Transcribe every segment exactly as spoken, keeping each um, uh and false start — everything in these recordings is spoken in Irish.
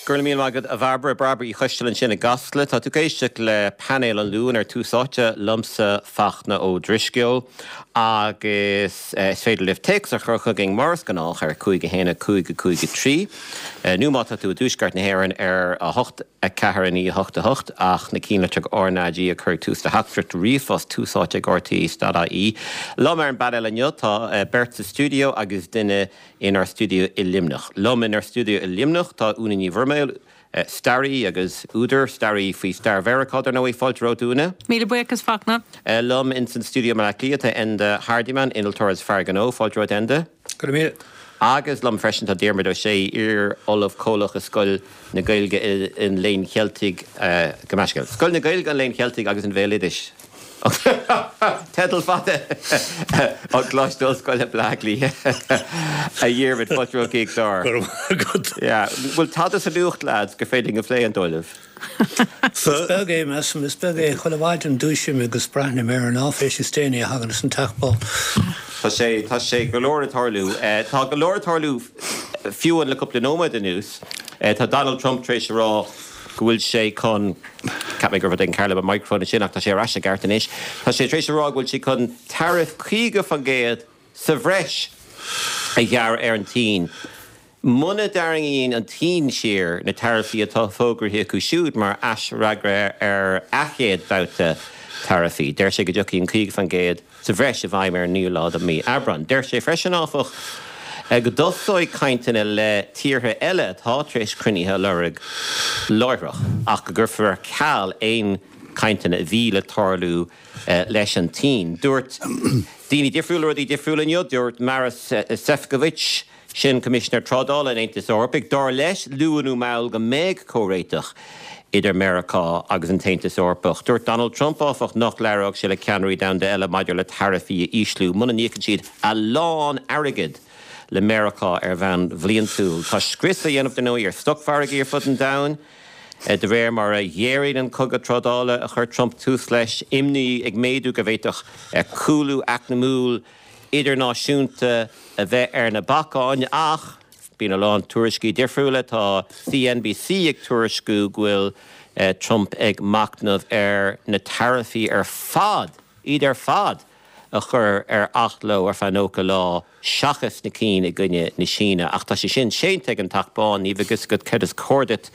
Go raibh míle maith agat a Bhairbre Bairbre Uí Choisteala ansin i gCasla Tá tú ag éisteacht le painéal an Luain ar Tús Áite liomsa Fachtna Ó Drisceoil agus eh, is féidir libh téacs a chur chugainn mar is gnách ar cúig a haon cúig cúig trí. Eh, nó má tá tú i dtuaisceart na hÉireann ar a hocht a ceathair naoi hocht a hocht ach na cinnlitreach RnaG a chur tús le teachtaireacht ríomhphost tús áite ag RTÉ dot ie. Liom ar an bpainéal inniu tá eh, beirt sa stiúideo agus duine inár stiúideo i Luimneach. Liom inár stiúideo i Luimneach tá Úna Ní Bhroiméil, eh, staraí agus údar staraí faoi stair Mheiriceá ar ndóigh fáilte romhat Úna. Míle buíochas Fachtna. Uh, liom in san stiúideo i mBaile Átha Cliath tá Enda Hardiman innealtóir is fear gnó fáilte romhat Enda. Go míle. Agus liom freisin tá Diarmuid Ó Sé iar-ollamh comhlach i Scoil na Gaeilge an Léinn Cheiltigh uh, go meisce. Scoil na Gaeilge an Léinn Cheiltigh agus an Bhéaloidis. Teideal fada an Choláiste Ollscoile Baile Átha Cliath a Dhiarmuid fáilte romhat. Bhfuil tada sa nuacht lads gur féidir a phlé an dóileh. Is beag é measaim is beag é chuile mhaidin dúisím agus breathnaím ar an áiféis is déanaí a thagann an Teach Bán. Tá sé tá sé go leor ag tarlú Tá go leor ag tarlú fiú le cúpla nóiméad anuas Tá Donald Trump tar éis a rá go bhfuil sé chun Ceap mé gur an cearla microphone sin ach tá sé ar ais i gceart anois. Tá sé tar éis a rá go bhfuil sé chun tariff caoga faoin gcéad sa bhreis a ghearradh ar an tSín. Muna dtarraingíonn an tSín siar na taraifí atá fógartha acu siúd mar fhreagra ar a chéad bhabhta taraifí. Deir sé go dtiocfaidh an caoga faoin gcéad sa bhreis i bhfeidhm ar naoú lá de mhí Aibreán. Deir sé freisin áfach go dtosóidh cainteanna le tíortha eile atá tar éis cruinnithe a lorg láithreach ach go gcuirfear ar ceal aon cainteanna a bhí le tarlú leis an tSín. Dúirt daoine difriúla rudaí difriúla inniu, dúirt Maros Sefcovic sin Coimisinéir Trádála an Aontais Eorpaigh, dar leis luath nó mall go mbeidh comhréiteach idir Meiriceá agus an tAontas Eorpach. Dúirt Donald Trump áfach nach labhródh sé le ceannairí domhanda eile maidir le taraifí a ísliú, muna n-íocann siad a lán airgid le Meiriceá ar bhonn bliantúil. Tá scrios á dhéanamh den ar stocmhargaí ar fud an domhain. De réir mar a ghéaraíonn an cogadh trádála a chuir Trump tús leis imní ag méadú go bhféadfadh cúlú eacnamaíoch idirnáisiúnta a bheith ar na bacáin ach bíonn a lán tuairiscí difriúla tá CNBC ag tuairisciú go bhfuil Trump ag machnamh ar na taraifí ar fad iad ar fad a chur ar athló ar feadh nócha lá seachas na cinn i gcoinne na Síne ach tá sé sin séanta ag an Teach Bán ní agus go cad is cóir duit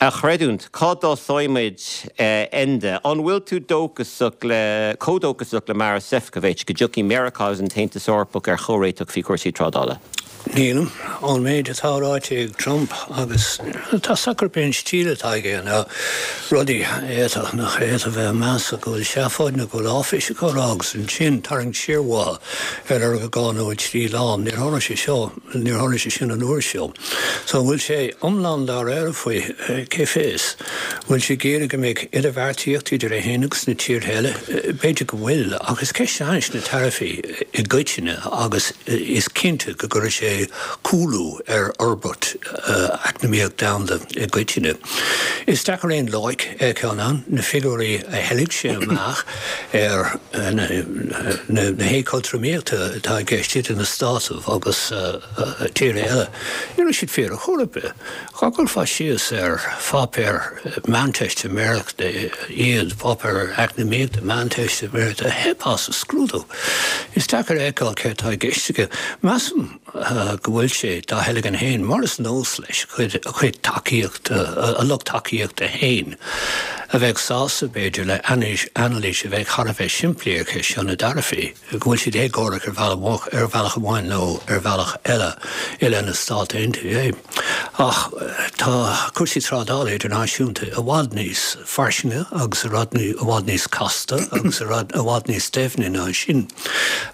a chreidiúint cá dtosóimid Enda an bhfuil tú dóchasach le chomh dóchasach le Maros Sefcovic go dtiocfaidh Meiriceá agus an tAontas Eorpach ar chomhréiteach faoi chúrsaí trádála. Nílim an méid atá ráite ag Trump agus tá socr ben stíle atá aige ná rudaí éach nach éad a bheith measa go bhfuil seafóid nó go bhfuil áiféis á rá agus ansin tarraingt siar uathu ar ar dhá nó trí lá níor tharla sé seo níor tharla sé sin an uair seo. So bhfuil sé iomlán dáiríre faoi cé fios, bhfuil sé géire go mbeidh idirbheartaíocht idir é féin agus na tíortha eile, b'fhéidir go bhfuil agus ceist na taraifí i gcoitinne agus is cinnte go gcuirfidh sé cúlú ar fhorbairt eacnamaíoch domhanda i gcoitinne. Is deacair aon loighic a fheiceáil ann na figiúirí a theilg sé amach ar na, na, na héagothromaíochta atá i gceist idir na Stáit agus tíortha eile. Ní raibh siad fíor ar chor ar bith. Dá gcuirfeá síos ar pháipéar meánteistiméireachta iad páipéar eacnamaíochta meánteistiméireachta theipfeá sa scrúdú. Is deacair a fheiceáil céard atá i gceist aige. Measaim go bhfuil sé dá theilgean féin mar is nós leis chuid chuid tacaíochta a lucht tacaíochta féin a bheith sásta b'fhéidir le anailís a bheith thar a bheith simplí ar cheist na dtaraifí, go bhfuil siad éagórach ar bhealach ar bhealach amháin nó ar bhealach eile i leith na Stát Aontaithe. Ach tá cúrsaí trádála idirnáisiúnta i bhfad níos fairsinge agus i bhfad níos casta agus i bhfad níos doimhne ná sin.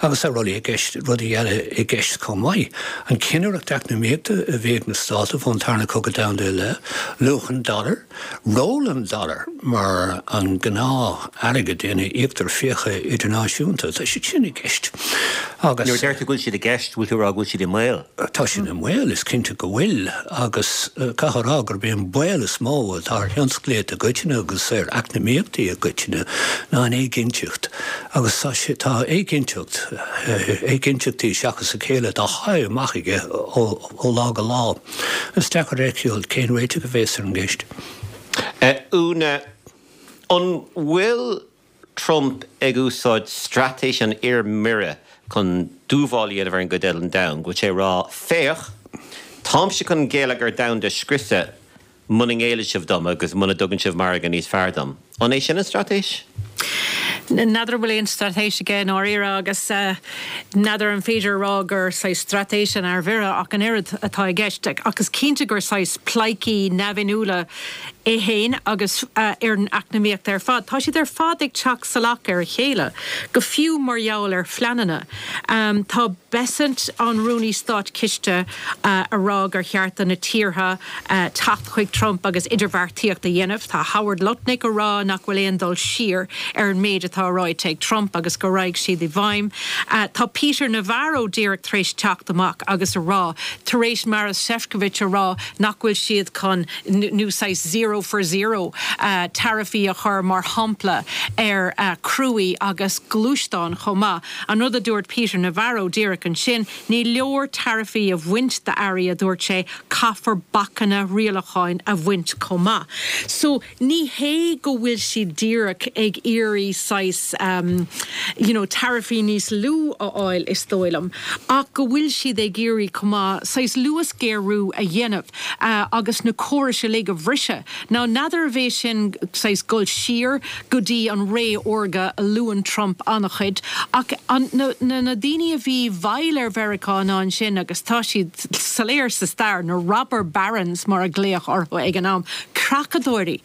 Agus tá rudaí i gceist rudaí eile i gceist chomh maith. An cinnireacht eacnamaíochta a bhí ag na Stáit ón Tarna Cogadh Domhanda le luach an dollar, ról an dollar mar an gnáth-airgead ina íoctar fiacha idirnáisiúnta, tá siad sin i gceist. Agus Nuair a deir tú go bhfuil siad i gceist, bhfuil tú ag rá go bhfuil siad i mbaol? Tá siad i mbaol, is cinnte go bhfuil, agus caithfear a rá gurb é an baol is mó atá ar thionsclaíocht i gcoitinne agus ar eacnamaíochtaí i gcoitinne ná an éiginnteacht. Agus tá sé, tá éiginnteacht, éiginnteachtaí seachas a chéile dá shá amach aige ó, ó lá go lá. Is deacair a fheiceáil cén réiteach a bheas ar an gceist. Úna, an bhfuil Trump ag úsáid straitéis an fhir mire chun dúmhál a dhéanamh ar an gcuid eile den domhan, go bhfuil sé ag rá, 'Féach, táimse chun an geilleagar domhanda a scriosadh muna ngéilleann sibh dom agus muna dtugann sibh margadh níos fearr dom'? An é sin an straitéis? N'fheadar an bhfuil aon straitéis aige i ndáiríre agus n'fheadar an féidir a rá gur saghas straitéis an fhear mhire ach an oiread atá i gceist. Ach is cinnte gur saghas pleidhcí neamhinniúla é féin agus ar an eacnamaíocht ar fad. Tá siad ar fad ag teacht salach ar a chéile, go fiú mar gheall ar phleananna. Tá Bessent, an Rúnaí Státchiste, a rá gur cheart do na tíortha teacht chuig Trump agus idirbheartaíocht a dhéanamh. Tá Howard Lutnick a rá nach bhfuil aon dul siar ar an méid atá ráite ag Trump agus go raghaidh siad i bhfeidhm. Tá Peter Navarro díreach tar éis teacht amach agus a rá, tar éis Maros Sefcovic a rá nach bhfuil siad chun nó saghas zero for zero taraifí a chur mar shampla ar chruaí agus gluaisteáin chomh maith. An rud a dúirt Peter Navarro díreach ansin, ní leor taraifí a bhaint d'earraí, a dúirt sé, caithfear bacanna rialacháin a bhaint chomh maith. So ní hé go bhfuil siad díreach ag iarraidh saghas you know taraifí níos lú a fháil is dóigh liom, ach go bhfuil siad ag iarraidh chomh maith saghas luasghéarú a dhéanamh agus na córais uilig a bhriseadh. Now n'fheadar arbh é sin saghas dul siar go dtí an ré órga a luann Trump an-chuid, ach an, na, na, na daoine a bhí i bhfeighil ar Mheiriceá ná ansin agus tá siad soiléir sa stair, na robber barons mar a glaodh orthu ag an am, creachadóirí,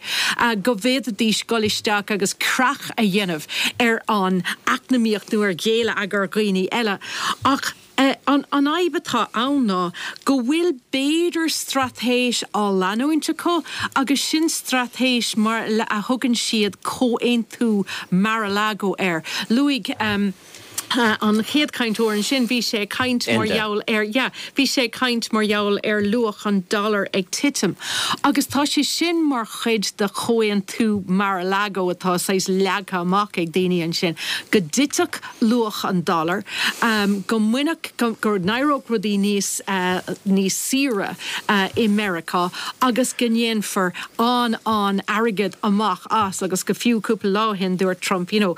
go bhféadfaidís dul isteach agus creach a dhéanamh ar an eacnamaíocht nó ar gheilleagar dhaoine eile. Ach an fhadhb atá ann ná go bhfuil b'fhéidir straitéis á leanúint acu agus sin straitéis mar a thugann siad Comhaontú Mar-a-Lago air. Luaigh an chéad chainteoir ansin, bhí sé ag caint mar gheall ar, yeah, bhí sé ag caint mar gheall ar luach an dollar ag titim. Agus tá sé sin mar chuid de Chomhaontú Mar-a-Lago atá saghas leagtha amach ag daoine ansin, go dtitfeadh luach an dollar, go mbainfeadh, go n-éireodh rudaí níos, níos saoire i Meiriceá agus go ndéanfar an-an-airgead amach as agus go fiú cúpla lá ó shin dúirt Trump, you know,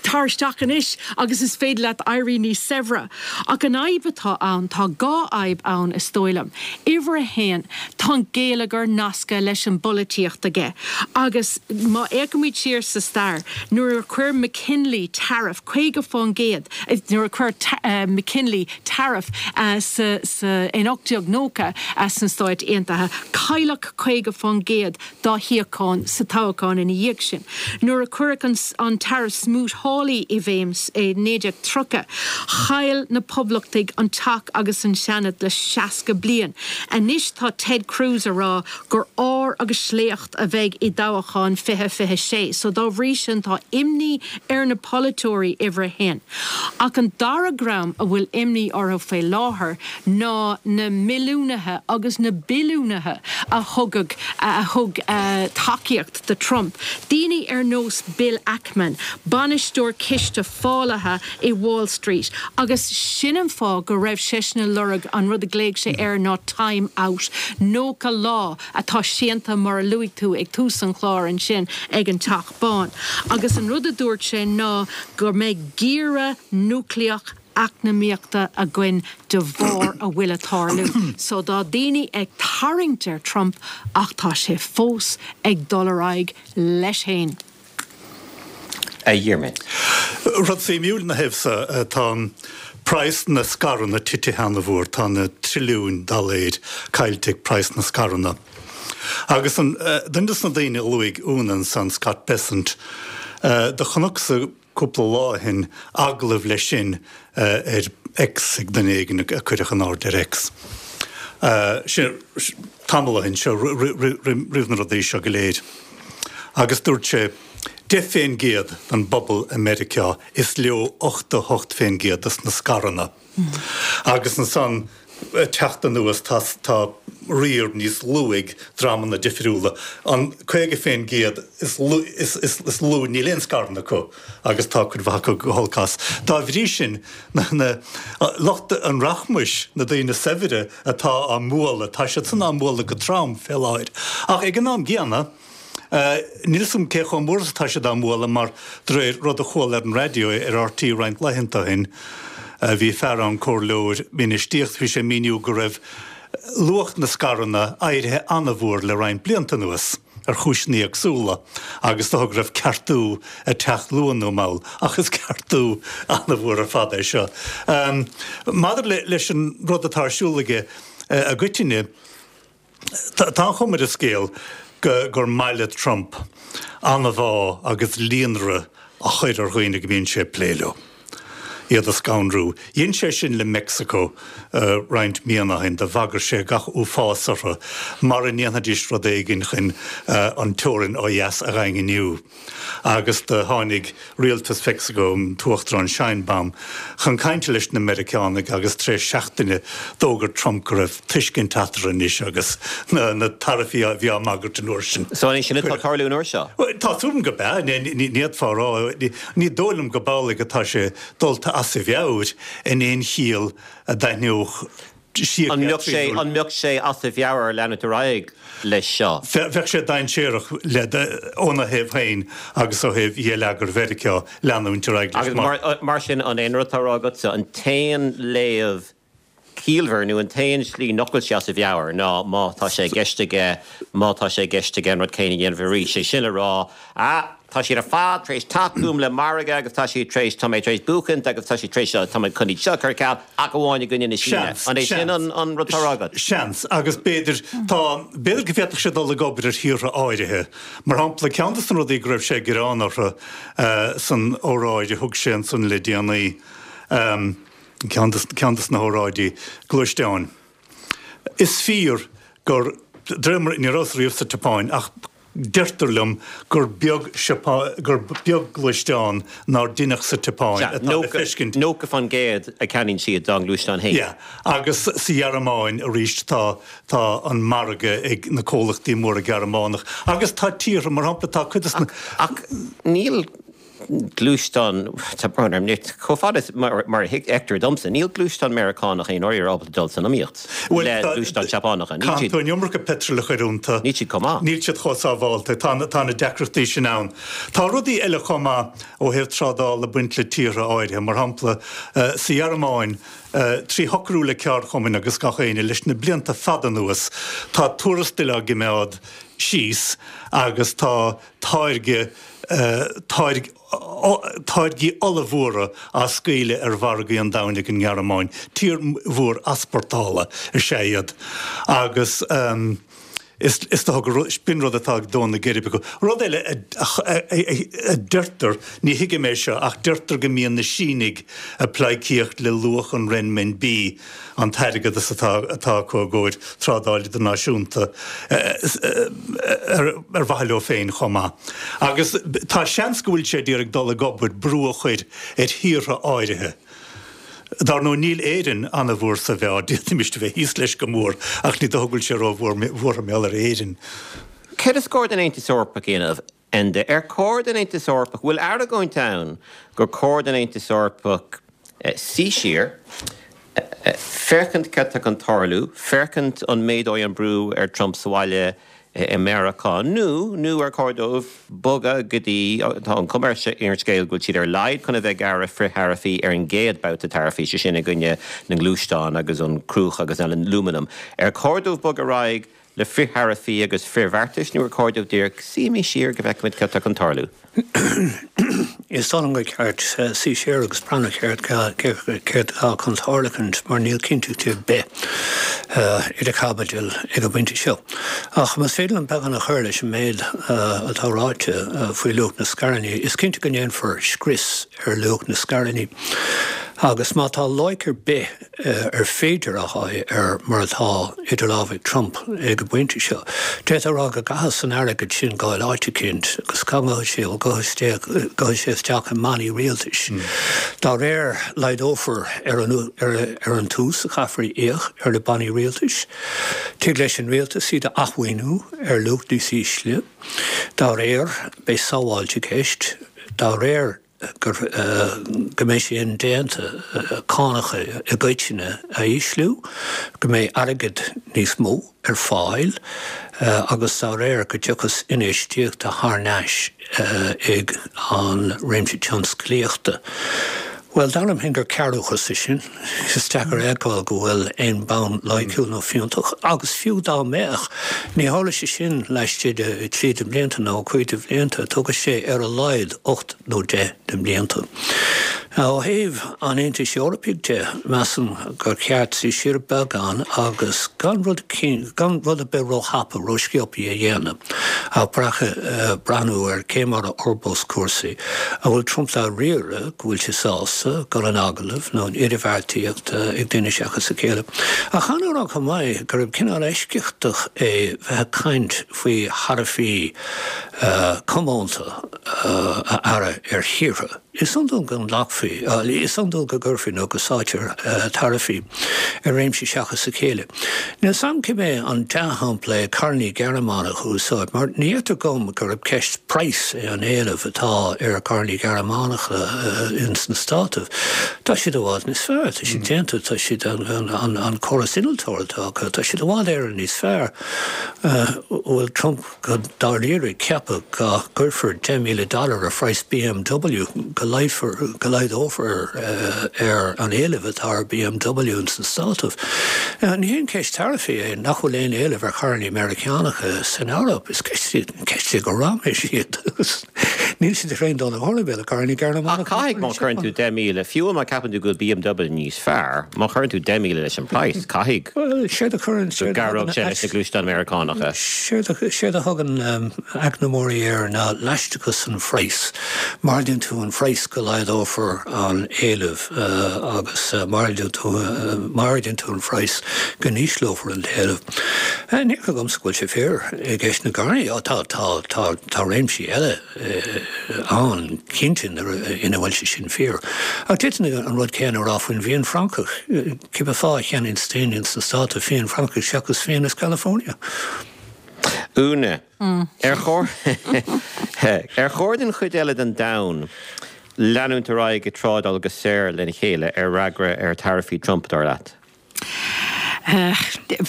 tar isteach anois agus is féidir leat éirí níos saibhre. Ach an fhadhb atá ann, tá dhá fhadhb ann is dóigh liom. Uimhir a haon, tá an geilleagar nasctha leis an bpolaitíocht aige agus má fhéachaimid siar sa stair, nuair a chuir McKinley tariff caoga fán gcéad, nuair a chuir McKinley tariff sa, sa, in ocht déag nócha sna Stáit Aontaithe, cailleadh caoga fán gcéad dá shuíocháin sa toghchán ina dhiaidh sin. Nuair a cuireadh an, an tariff Smoot-Hawley i bhfeidhm i naoi déag tríocha, chaill na Poblachtaigh an Teach agus an Seanad le seasca bliain. Anois tá Ted Cruz a rá gur ár agus sléacht a bheidh i dtoghchán fiche fiche sé. So dá bhrí sin tá imní ar na polaiteoirí uimhir a haon. Ach an dara dream a bhfuil imní orthu faoi láthair ná na milliúnaithe agus na billiúnaithe a thugadh, a thug tacaíocht do Trump. Daoine ar nós Bill Ackman, bainisteoir ciste fálaithe i Wall Street, agus sin an fáth go raibh seisean ag lorg an rud a ghlaoigh sé air ná time out, nócha lá atá séanta mar a luaigh tú ag tús an chláir ansin ag an Teach Bán. Agus an rud a dúirt sé ná go mbeidh giorra núicléach eacnamaíochta againn de bharr a bhfuil ag tarlú. So tá daoine ag tarraingt ar Trump ach tá sé fós ag dul ar aghaidh leis féin. A Dhiarmaid. Rud suimiúil ina thaobh so, tá praghas na scaireanna titithe an-mhór, tá na trilliúin dollar caillte ag praghas na scaireanna. Agus an duine de na daoine a luaigh Úna ansan, Scott Bessent, do chonacsa cúpla lá ó shin agallamh leis sin ar X ag duine éigin a cuireadh in airde ar X. Sin tamall ó shin, seo roimh na rudaí seo go léir. Agus dúirt sé, deich fén gcéad den bpobal i Meiriceá, is leo ochtó hocht fén gcéad des na scaireanna. Agus ansan, ag teacht anuas, tá tá riar níos lú ag dreamanna difriúla. An caoga fén gcéad is lú is is is lú níl aon scaireanna acu agus tá cuid mhaith acu go holc as. Dá bhrí sin, na na lucht an rachmais, na daoine saibhre atá á mbualadh, tá siad san á mbualadh go trom fé láthair. Ach ag an am gcéanna, Níl 'fhios a'm cé chomh mór is atá siad á mbualadh mar de réir rud a chuala ar an raidió ar R T roinnt laethanta ó shin, bhí fear ann, comhairleoir infheistíochta, bhí sé ag míniú go raibh luach na scaireanna éirithe an-mhór le roinnt blianta anuas ar chúiseanna éagsúla agus dócha go raibh ceartú ag teacht luath nó mall ach is ceartú an-mhór ar fad é seo. Maidir leis an rud atá ar siúl aige i gcoitinne, Tá an chuma ar an scéal gur maith le Trump anbhá agus líonrith a chur ar dhaoine go mbíonn sé ag plé leo, iad a scanrú. Dhein sé sin le Meicsiceo roinnt míonna ó shin, do bhagair sé gach uafás orthu mara ndéanfaidís rud éigin chun an teorainn ó dheas a dhaingniú. Agus do tháinig rialtas Mheicsiceo, an tUachtarán Sheinbaum, chun cainte leis na Meiriceánaigh agus tar éis seachtaine d'fhógair Trump go raibh tuiscint eatarthu anois agus na taraifí a bhí á mbagairt an uair sin. So an é sin atá ag tarlú an uair seo? Tá súil agam gurb ea. Ní fhéadfá a rá. Ní dóigh liom gurb amhlaidh atá sé dulta as a mheabhair in aon chiall a d'aithneodh An mbeadh sé, an mbeadh sé as a mheabhair leanúint ar aghaidh leis seo? Bheadh sé dainséarach le, óna thaobh féin agus ó thaobh gheilleagar Mheiriceá leanúint ar aghaidh leis Agus mar. mar sin, an é an rud atá á rá agatsa, an t-aon léamh ciallmhar nó an t-aon slí nach bhfuil sé as a mheabhair ná má tá sé i gceist aige, má tá sé i gceist aige an rud céanna a dhéanamh arís, sé sin le rá, ah, Tá siad ar fad tar éis teacht chugam le margadh agus tá siad tar éis, tá mé tar éis buachaint agus tá siad tar éis, tá mé chun iad seo a chur ar ceal ach amháin i gcoinne na Síne. Seans, An é sin seans, an rud atá á rá agat? Seans, agus b'fhéidir, tá, b'fhéidir go bhféadfadh sé dul ag obair ar thíortha áirithe. Mar shampla, ceann de na rudaí go raibh sé ag gearán orthu san óráid a thug sé ansan le déanaí, ceann de, ceann de na hóráidí, gluaisteáin. Is fíor gur, de réir mar, ní rabhas riamh sa tSeapáin ach, Deirtear liom gur beag gur beag gluaisteán nár deineadh sa tSeapáin atá le feiscint. Nócha faoin gcéad a cheannaíonn siad dá ngluaisteáin féin. Yeah. Agus sa Ghearmáin arís tá tá an margadh ag na comhlachtaí móra Gearmánach. Agus tá tíortha, mar shampla tá cuid de na. Ach níl gluaisteán, tá brón orm, chomh fada is mar a fheictear domsa, níl gluaisteán Meiriceánach aon uair ábalta dul san iomaíocht le gluaisteáin Seapánacha. Níl siad. Caitheann tú an iomarca peitril a chur iontu. Níl siad chomh maith. Níl siad chomh sábhálta. Tá tá na deacrachtaí sin ann. Tá rudaí eile chomh maith ó thaobh trádála ag baint le tíortha áirithe. Mar shampla, sa Ghearmáin, trí shocrú le ceardchumainn agus gach éinne leis na blianta fada anuas, tá tuarastail á gcimeád síos agus tá táirge táirge táirgí ollmhóra á scaoileadh ar mhargaí an domhain ag an nGearmáin. Tír mhór easpórtála is ea iad agus is is dócha gur b'in rud atá ag dó na geirbe acu. Rud eile a a deirtear, ní thuigim é seo, ach deirtear go mbíonn na Sínigh ag pleidhcíocht le luach an renminbi, an t-airgeadas atá atá acu i gcomhair trádáil idirnáisiúnta, ar mhaithe leo féin chomh maith. Agus tá seans go bhfuil sé ag iarraidh dul ag obair, brú a chur ar thíortha áirithe. Dar ndóigh níl Éirinn an-mhór sa mheá, d'fhéadfaimis a bheith thíos leis go mór, ach ní dócha go bhfuil sé ró-bhuartha mar gheall ar Éirinn. Céard is cóir don Aontas Eorpach a dhéanamh, Enda? Ar chóir don Aontas Eorpach, bhfuil argóint ann gur chóir don Aontas Eorpach suí siar, féachaint cad tá chun tarlú, féachaint an méadóidh an brú ar Trump sa bhaile i Meiriceá, nó nó ar chóir dóibh bogadh go dtí, tá an chuma ar an scéal go bhfuil siad ar a laghad chun a bheith ag gearradh frith-tharaifí ar an gcéad babhta taraifí, sé sin i gcoinne na ngluaisteán agus an cruach agus an alúmanam. Ar chóir dóibh bogadh ar aghaidh le frith-tharaifí agus frithbheartais nó ar chóir dóibh díreach suí siar go bhfeicfimid cad tá chun tarlú? Is dóigh liom gur ceart suí siar agus breathnú céard céard atá chun tarlúint mar níl cinnteacht ar bith idir chaibidil ag an bpointe seo. Ach más féidir liom beagán a chur leis an méid atá ráite faoi luach na scaireanna, is cinnte go ndéanfar scrios ar luach na scaireanna. Agus má tá loighic ar bith ar féidir a fháil ar mar atá idir lámha ag Trump ag an bpointe seo, d'fhéadfá a rá go gcaithfeas an airgead sin gabháil áit eicínt agus cá ngabhfaidh sé, bhuel gabhfaidh sé isteach i mbannaí rialtais. Dá réir, laghdófar ar an ar an t-ús a chaithfear a íoc ar na bannaí rialtais. Tig leis an rialtas iad a athmhaoiniú ar luach níos ísle. Dá réir, beidh sábháilt i gceist. Dá réir, gur go mbeidh sé indéanta cánacha i gcoitinne a ísliú, go mbeidh airgead níos mó ar fáil agus dá réir go dtiocfas infheistíocht thar n-ais ag an réimse tionsclaíochta. Bhuel, dar liom féin gur cearrbhachas é sin. Is deacair a fheiceáil go bhfuil aon bonn loighciúil nó fiúntach, agus fiú dá mbeadh, ní tharlódh sé sin laistigh de trí de bhlianta nó cúig de bhlianta, tógfaidh sé ar a laghad ocht nó deich de bhlianta. Ó thaobh an Aontais Eorpaigh de, measaim gur cheart suí siar beagán agus gan rud gan rud ar bith róthapa, rósciobtha a dhéanamh, ach breathnú ar cé mar a fhorbós cúrsaí. An bhfuil Trump dáiríre go bhfuil sé sásta dul in agallamh nó in idirbheartaíocht ag duine seachas a chéile? Ach caithfidh mé a rá chomh maith gurb cineál eisceachtach é bheith ag caint faoi tharaifí comónta a ghearradh ar thíortha. Is iondúil go nglacfaí, is iondúil go gcuirfí nó go sáitear taraifí ar réimsí seachas a chéile. Níl 's a'm cibé an dea-shampla é carrannaí Gearmánach a úsáid, mar ní fheictear dhom gurb ceist praghais é an éileamh atá ar charrannaí Gearmánacha ins na Státaibh. Tá siad i bhfad níos fearr, tá siad déanta, tá siad, an córas innealtóra atá acu, tá siad i bhfad Éireann níos fearr. Bhfuil Trump go dáiríre ag ceapadh go gcuirfear deich míle dollar ar phraghas BMW, go laghdófar go laghdófar ar an éileamh atá ar BMW ins na Státaibh? Ní haon cheist taraifí é nach bhfuil aon éileamh ar charrannaí Meiriceánacha san Eoraip. Is ceist ceist é go raiméis iad agus níl siad tar aon dul ar chor ar bith le carrannaí Ach Gearmánacha. caithfidh má chuireann tú deich míle, fiú má ceapann tú go bhfuil BMW níos fearr, má chuireann tú deich míle leis an praghas, caithfidh Bhuel, séard a chuireann, go séard a gcabhródh thugann sé leis na gluaisteáin Meiriceánacha. Séard a, séard a thugann eacnamóirí air ná leaisteachas an phraghais. Má ardaíonn tú an phraghas go laghdófar an éileamh agus má ardaíonn tú, má ardaíonn tú an phraghas go n-ísleofar an t-éileamh. Ní feictear dhomsa go bhfuil sé fíor i gceist na gcarrannaí. Tá, tá, tá, tá réimsí eile ann, cinnte, ina bhfuil sé sin fíor. Ach d'fhéadfainn an rud céanna a rá faoin bhfíon Francach. Cibé fáth a cheannaíonn daoine ins na Státaibh fíon Francach seachas fíon as California? Úna, ar chóir ar chóir don chuid eile den domhan leanúint ar aghaidh ag trádáil go saor lena chéile ar fhreagra ar taraifí Trump, dar leat?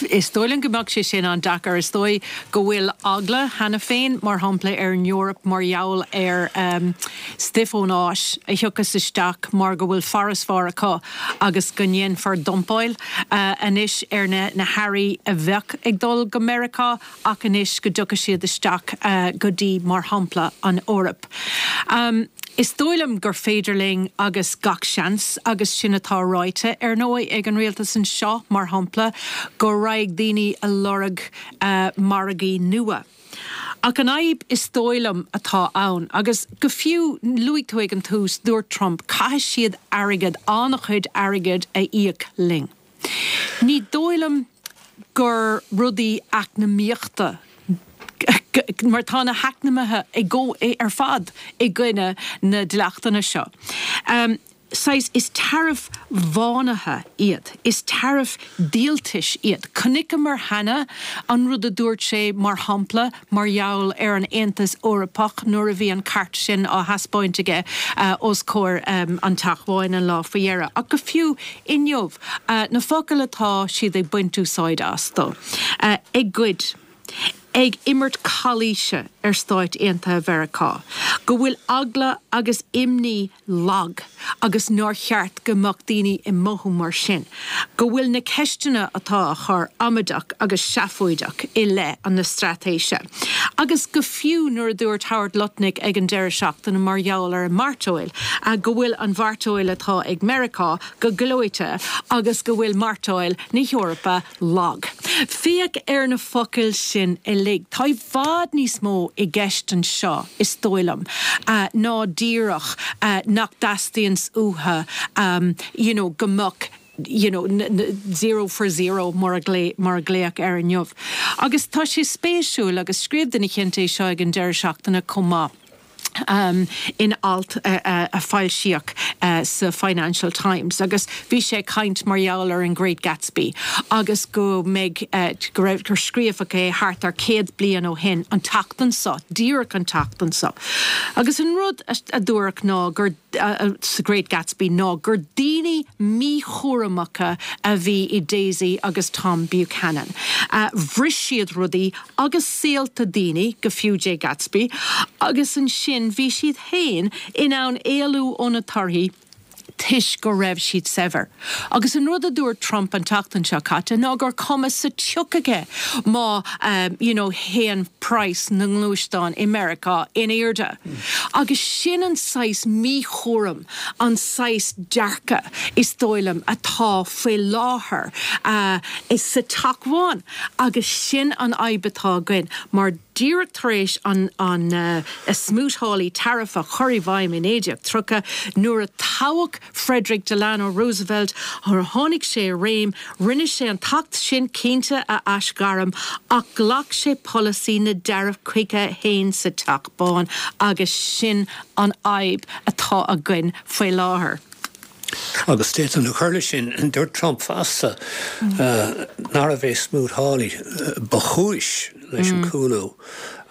Is dóigh liom go mbeadh sé sin an-deacair. Is dóigh go bhfuil eagla cheana féin, mar shampla, ar an Eoraip mar gheall ar stuif ón Áis a thiocfas isteach mar go bhfuil farasbarr acu agus go ndéanfar dumpáil anois ar na hearraí a bheadh ag dul go Meiriceá ach anois go dtiocfaidh siad isteach go dtí, mar shampla, an Eoraip. Is dóigh liom gur féidir linn agus gach seans, agus sin atá ráite, ar ndóigh, ag an rialtas anseo, mar shampla, go raghaidh daoine a lorg margaí nua. Ach an fhadhb, is dóigh liom, atá ann, agus go fiú, luaigh tú ag an tús, dúirt Trump, caithfidh siad airgead, an-chuid airgid a íoc linn. Ní dóigh liom gur rudaí eacnamaíochta, mar tá na heacnamaithe i gcó ar fad i gcoinne na dleachtanna seo. Saghas, is taraif bhánaithe iad, is taraif díoltais iad. Chonaiceamar cheana an rud a dúirt sé, mar shampla, mar gheall ar an Aontas Eorpach nuair a bhí an cairt sin á thaispeáint aige os comhair an Teach Bháin an lá faoi dheireadh. Ach go fiú inniu, na focail atá siad ag baint úsáid astu, ag goid, ag imirt calaoise ar Stáit Aontaithe Mheiriceá, go bhfuil eagla agus imní lag agus nár cheart go mbeadh daoine ag mothú mar sin, go bhfuil na ceisteanna atá á chur amaideach agus seafóideach i leith an na straitéise. Agus go fiú nuair a dúirt Howard Lutnick ag an deireadh seachtaine mar gheall ar an mairteoil, go bhfuil an mhairteoil atá ag Meiriceá go gleoite agus go bhfuil mairteoil na hEorpa lag. Féach ar na focail sin uilig. Tá i bhfad níos mó i gceist anseo is dóigh liom uh, ná díreach uh, nach dteastaíonn uathu um, you know, go mbeadh you know, zero for zero mar a mar a glaodh air inniu. Agus tá sé spéisiúil agus scríobh duine éicint é seo ag an deireadh seachtaine chomh maith. Um, in alt uh, uh, a foilsíodh uh, sa Financial Times agus bhí sé caint mar gheall ar an Great Gatsby agus go mbeidh uh, go raibh gur scríobhadh é thart ar céad bliain ó shin an tseachtain seo, díreach an tseachtain seo. Agus an rud a, a dúradh ná gur uh, sa Great Gatsby ná gur daoine míchúramacha a bhí i Daisy agus Tom Buchanan. Uh, Bhris siad rudaí agus saolta daoine go fiú Jay Gatsby agus ansin bhí siad féin in ann éalú ó na torthaí toisc go raibh siad saibhir. Agus an rud a dúirt Trump an tseachtain seo caite ná gur cuma sa tsioc aige má um, you know, théann praghas na ngluaisteán i Meiriceá in airde. Mm. Agus sin an saghas míchúram an saghas dearcadh is dóigh liom atá faoi láthair uh, is sa Teach Bán agus sin an fhadhb atá againn mar díreach tar éis an, an uh, a Smoot-Hawley tariff a chur i bhfeidhm in naoi déag tríocha nuair a toghadh Frederick Delano Roosevelt nuair a tháinig sé i réim, rinne sé an t-acht sin cinnte a aisghairm ach ghlac sé polasaí na dtaraif chuige féin sa Teach Bán agus sin an fhadhb atá againn faoi láthair. Agus d'fhéadfainn a chur leis sin dúirt Trump fosta uh, nárbh é Smoot-Hawley uh, ba chúis leis an mm. cúlú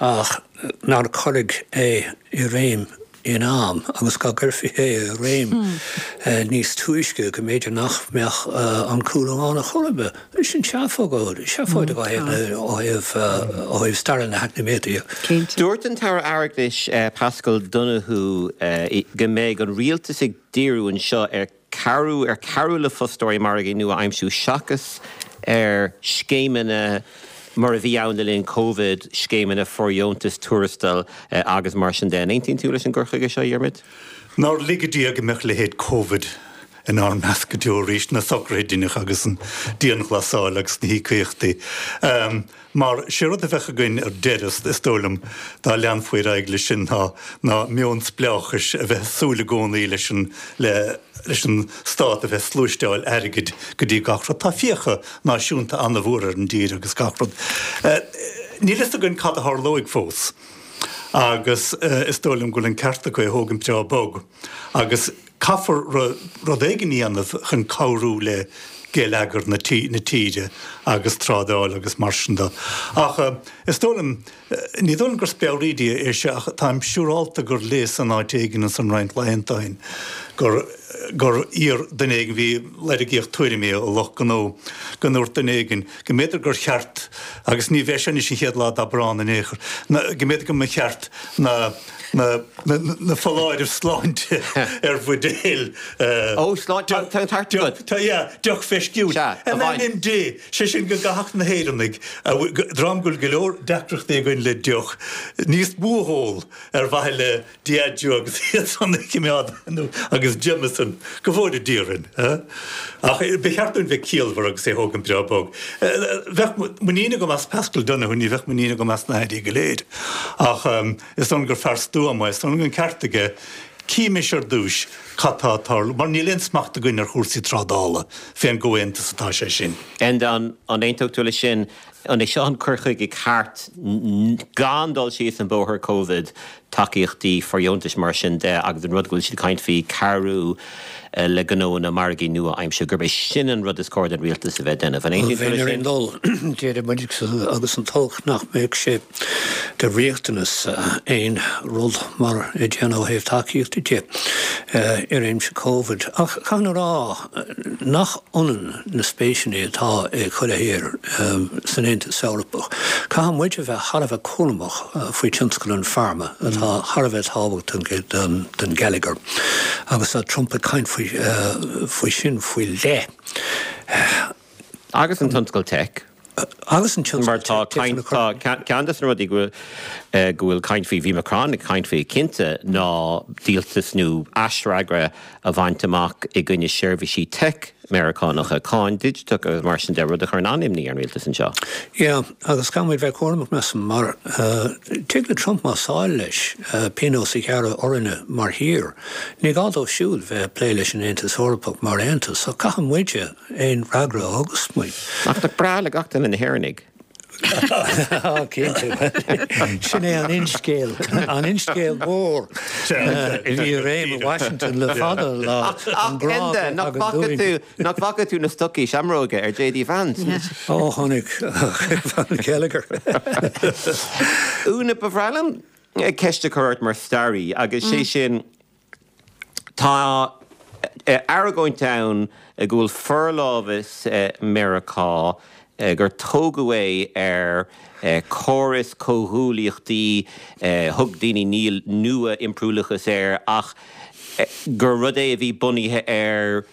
ach nár cuireadh é i réim in am agus dá gcuirfí é i réim mm. uh, níos túisce go mb'fhéidir nach mbeadh uh, an cúlú ann ar chor ar bith. Sin seafóid seafóid ó thaobh stair na heacnamaíochta. Dúirt an tAire Airgeadais uh, Pascal Donoghue uh, go mbeidh an rialtas ag díriú anseo ar cabhrú ar cabhrú le fostóirí margaí nua a aimsiú seachas ar scéimeanna mar a bhí ann le linn COVID scéimeanna fóirdheontas tuarastail eh, agus mar sin de. Aontaíonn tú leis an gcur chuige seo Diarmuid? Nár lige Dia go mbeadh leithéid COVID inár measc go deo arís na socruithe dinach agus an dianghlasáil agus na híocaíochtaí. Um, mar sé rud a bheadh againn ar deireadh is dóigh liom dá leanfaí ar aghaidh leis sin ná ná meon spleáchais a bheith súil i gcónaí leis an le leis an stát a bheith ag sluaisteáil airgid go dtí gach rud. Tá fiacha náisiúnta an-mhór ar an dtír agus gach rud. Uh, Níl a fhios againn cad a tharlóidh fós. Agus uh, is dóigh liom go bhfuil an ceart acu é a thógaint breá bog. Agus caithfear rud éigin a dhéanamh chun cabhrú le geilleagar na tíre agus trádáil agus mar sin de. Ach uh, is dóigh liom uh, ní dóigh liom gur speabhraídí é se ach táim siúrálta gur léas an áit éigin san roinnt laethanta ó shin gur gur iar duine éigin bhí lorgaíodh tuairimí ó lucht gnó go ndúirt duine éigin go mb'fhéidir gur cheart agus ní bheidh sé anois an chéad lá d'Aibreán in aon chor go mb'fhéidir go mba cheart na na na na foláirimh sláinte ar bhuidéil Ó sláinte deoch mheisciúil. In ainm Dé sé sin go gcaithfeadh na hÉireannaigh dream go bhfuil go leor deacrachtaí againn le deoch níos mó a ól ar mhaithe le Diageo agus iad san a choimeád agus Jameson go bhfóire Dia orainn. Ach ba cheart dúinn bheith ciallmhar agus é a thógaint breá bog. Bheadh muinín agam as Pascal Donoghue ní bheadh muinín agam as na hairí go léir. Ach is dóigh liom gur fear stuama é, is dóigh liom go bhfuil an ceart aige címis ar dtús cad tá ag tarlú, mar níl aon smacht againn ar chúrsaí trádála fén gcomhaontas atá sé sin. Enda an aontódh tú leis sin an é seo an cur chuige ceart gan dul síos an bóthar Covid tacaíochtaí fóirdheontais mar sin de agus an rud go bhfuil siad ag caint faoi cabhrú eh, le gnónna margaí nua a aimsiú gurb é sin an rud is cóir don rialtas a bheith ag déanamh. An aontaíonn tú leis Bheinn ar sin? aon dul déarfaidh muid agus an t-olc nach mbeadh sé de riachtanas aon rud mar a déanamh ó thaobh tacaíochta de i réimse Covid. Ach caithfidh a rá nach ionann na spéiseanna atá ag chuile thír san Aontas Eorpach. Caithfidh muid a bheith thar a bheith cúramach faoi tionscal an pharma atá thar a bheith tábhachtach don don gheilleagar. Agus tá Trump ag caint faoi faoi sin faoi leith. Agus an tionscal tech. Agus an tionscal Mar tá tech tá ceann de na rudaí go bhfuil go bhfuil caint faoi bhí Macron ag caint faoi cinnte ná díoltas nó aisfhreagra a bhaint amach i gcoinne seirbhísí tech Meiriceánacha, cáin digiteach agus mar sin de, rud a chuireann an-imní ar an rialtas anseo. Yeah, agus caithfidh muid bheith cúramach measaim mar tig le Trump más áil leis pionós a ghearradh orainne mar thír. Ní gá dó siúd bheith ag plé leis an Aontas Eorpach mar aontas, ach caithfidh muide aon fhreagra a thugas muid. Ach nach breá le gach duine na hÉireannaigh? Cinnte, sin é an finscéal, an finscéal mór a bhí i réim i Washington le fada an lá, an grá Enda, nach bhfaca tú, nach bhfaca tú na stocaí seamróige ar J D Vance? Ó, chonaic Gallagher. Úna, ba bhreá liom ceist a chur ort mar staraí, agus sé sin, tá argóint ann go bhfuil forlámhas Meiriceá, gur tógadh é ar chóras comhghuaillíochtaí, thug daoine nua-impiriúlachas air, ach gur rud é a bhí bunaithe ar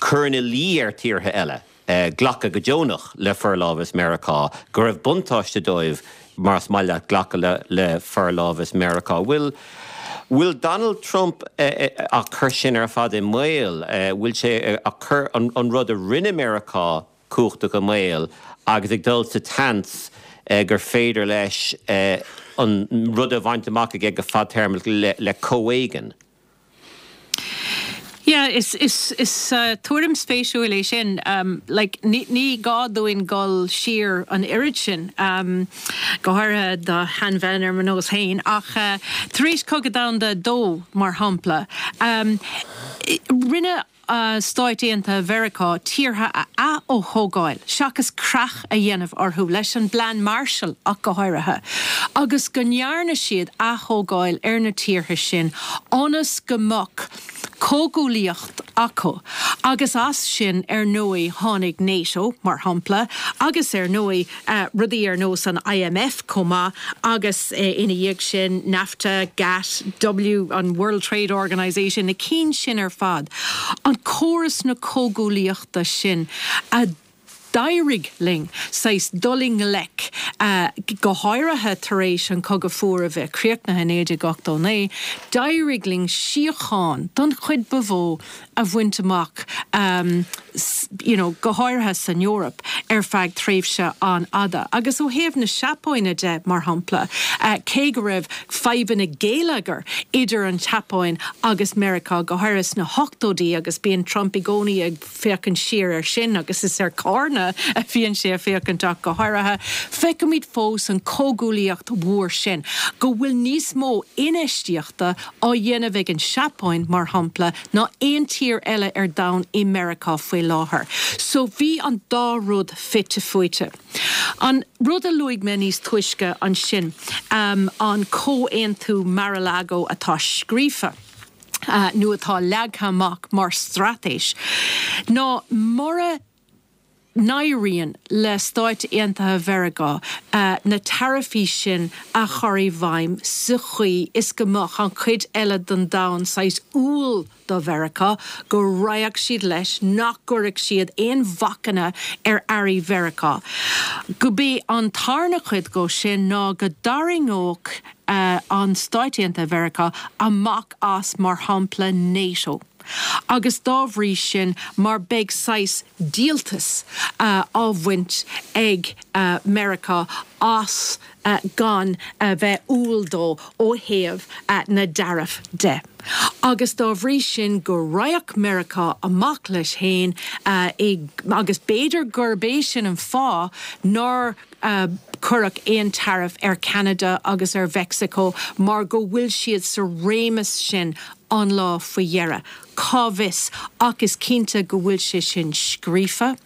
cur ina luí ar tíortha eile glacadh go deonach le forlámhas Meiriceá, go raibh buntáiste dóibh más maith leat glacadh le forlámhas Meiriceá. Bhfuil bhfuil Donald Trump á cur sin ar fad i mbaol? Bhfuil sé á cur an rud a rinne Meiriceá cumhachtach i mbaol agus ag dul sa tseans gur féidir leis an rud a bhaint amach aige go fadtéarmach le comhéigean? Yeah, is is is tuairim spéisiúil é sin. Like, ní ní gá dúinn dul siar an oiread sin, go háirithe do sheanbhean ar mo nós féin, ach tar éis Cogadh Domhanda a Dó, mar shampla, rinne Stáit Aontaithe Mheiriceá tíortha a ath-thógáil seachas creach a dhéanamh orthu, leis an bPlean Marshall ach go háirithe, agus go ndearna siad ath-thógáil ar na tíortha sin ionas go mbeadh comhghuaillíocht acu agus as sin ar ndóigh tháinig NATO, mar shampla, agus ar ndóigh rudaí ar nós an I M F chomh maith agus ina dhiaidh sin NAFTA, GATT, W, an World Trade Organization, na cinn sin ar fad. An córas na comhghuaillíochta sin a d'éirigh linn saghas dul i ngleic, go háirithe tar éis an Cogadh Fuar a bheith críochnaithe i naoi déag ochtó naoi, d'éirigh linn síocháin don chuid ba mhó a bhaint amach you know, go háirithe san Eoraip ar feadh tréimhse an-fhada. Agus ó thaobh na Seapáine de, mar shampla, cé go raibh fadhbanna géilleagair idir an tSeapáin agus Meiriceá, go háirithe sna hochtóidí, agus bíonn Trump i gcónaí ag féachaint siar air sin agus is ar carnadh a bhíonn sé ag féachaint ach go háirithe, feicimid fós an chomhghuaillíocht mhór sin, go bhfuil níos mó infheistíochta á dhéanamh ag an Seapáin, mar shampla, ná aon tír eile ar domhan i Meiriceá faoi láthair. So bhí an dá rud fite fuaite. An rud a luaigh mé níos túisce ansin, um, an comhaontú Mar-a-Lago atá scríofa, uh, nó atá leagtha amach mar straitéis, ná mura n-éiríonn le Stáit Aontaithe Mheiriceá na taraifí sin a chur i bhfeidhm sa chaoi is go mbeadh an chuid eile den domhan saghas umhal do Mheiriceá, go raghadh siad leis nach gcuirfeadh siad aon bhacanna ar earraí Mheiriceá. Gurb é an tarna cuid dhó sin ná go dtarraingeodh an Stáit Aontaithe Mheiriceá amach as, mar shampla, NATO. Agus dá bhrí sin, mar beidh saghas díoltas á bhaint ag Meiriceá as gan a bheith umhal dó ó thaobh na dtaraif de. Agus dá bhrí sin go raghadh Meiriceá amach leis féin agus b'fhéidir gurb é sin an fáth nár cuireadh aon taraif ar Cheanada agus ar Mheicsiceo mar go bhfuil siad sa réimeas sin an lá faoi dheireadh. Cá bhfios, ach is cinnte go bhfuil sé sin scríofa,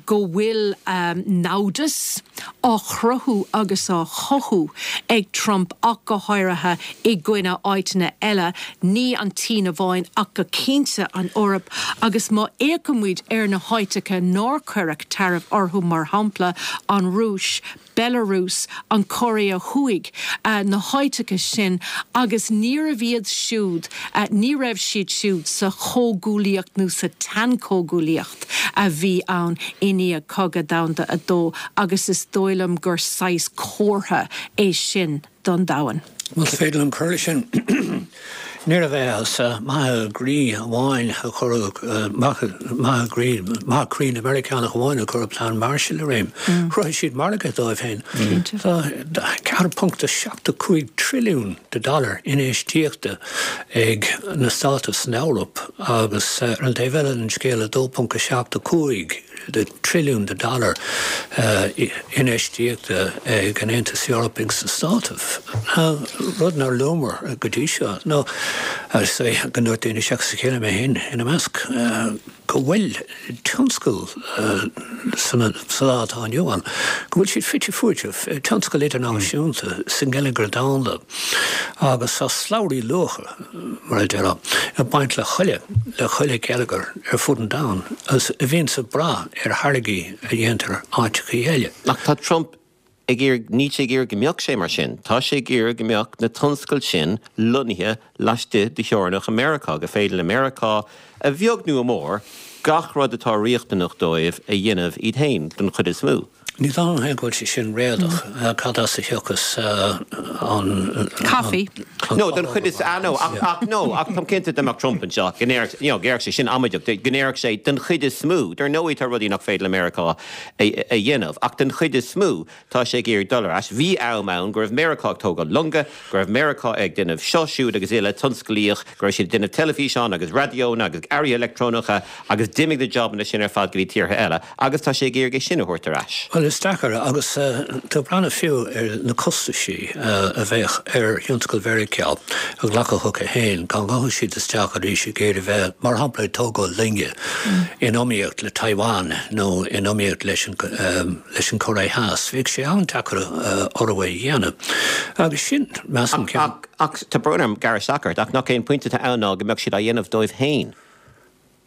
go bhfuil namhdas á chruthú agus á chothú ag Trump ach go háirithe i gcoinne áiteanna eile, ní an tSín amháin ach go cinnte an Eoraip agus má fhéachaimid ar na háiteacha nár cuireadh taraif orthu, mar shampla an Rúis, Belarus, an Chóiré Thuaidh, na háiteacha sin agus níorbh iad siúd, ní raibh siad siúd sa chomhghuaillíocht nó sa tsean-chomhghuaillíocht a bhí ann i ndiaidh Cogadh Domhanda a Dó agus is dóigh liom gur saghas comhartha é sin don domhan. Más féidir liom cur leis sin, Níorbh é as maithe groí amháin a cuireadh, maithe groí, maithe croí na Meiriceánach amháin a cuireadh Plean Marshall i réim. Chruthaigh siad margadh dóibh féin. Tá ceathair ponc a seacht a cúig trilliún de dollar infheistíochta ag na Státaibh san Eoraip agus ar an taobh eile den scéal a dó ponc a seacht a cúig de trilliún de dollar infheistíochta ag an Aontas Eorpaigh sna Státaibh. Rud nár luamar go dtí seo ná go ndúirt daoine seachas a chéile, mé féin ina measc, go bhfuil tionscal sa lá atá inniu ann, go bhfuil siad fite fuaite, tionscal idirnáisiúnta sa ngeilleagar domhanda agus tá slabhraí luacha, mar a déarfá, ag baint le chuile, le chuile gheilleagar ar fud an domhain agus a bhíonns ag brath ar tháirgí a dhéantar áiteachaí eile. Ach tá Trump ag iarraidh, níl sé ag iarraidh go mbeadh sé mar sin. Tá sé ag iarraidh go mbeadh na tionscail sin lonnaithe laistigh de theorainneacha Meiriceá, go féidir le Meiriceá, a bheag nó a mhór, gach rud atá riachtanach dóibh a dhéanamh iad féin, den chuid is mó. Ní dóigh liom féin go bhfuil sé sin réadach. Cad as a thiocfas an. Caife. No, den chuid is, ah no, ach, ach no, ach táim cinnte dá mbeadh Trump anseo, go ndéarfadh, you know, go ndéarfadh sé sin amaideach, go ndéarfadh sé den chuid is mó, dar ndóigh tá rudaí nach féidir le Meiriceá a, a dhéanamh, ach den chuid is mó, tá sé ag iarraidh dul ar ais. Bhí am ann go raibh Meiriceá ag tógáil longa, go raibh Meiriceá ag déanamh seo, siúd agus uile, tionsclaíoch, go raibh siad ag déanamh teilifíseán agus raidiónna agus earraí leictreonacha agus d'imigh na jabanna sin ar fad go dtí tíortha eile agus tá sé ag iarraidh é sin a thabhairt ar ais. Bhuel, is deacair agus tú ag breathnú fiú ar na costaisí a bheadh ar thionscal Mheiriceá a ghlacadh chucu féin dá ngabhfadh siad isteach arís ag iarraidh bheith, mar shampla, ag tógáil loinge in iomaíocht le Taiwan nó in iomaíocht leis an leis an Chóiré Theas. Bheadh sé an-deacair orthu é a dhéanamh. Agus sin, measaim, ceann. Ach, tá brón orm gearradh isteach ort, ach nach é an pointe atá ann ná go mbeadh siad á dhéanamh dóibh féin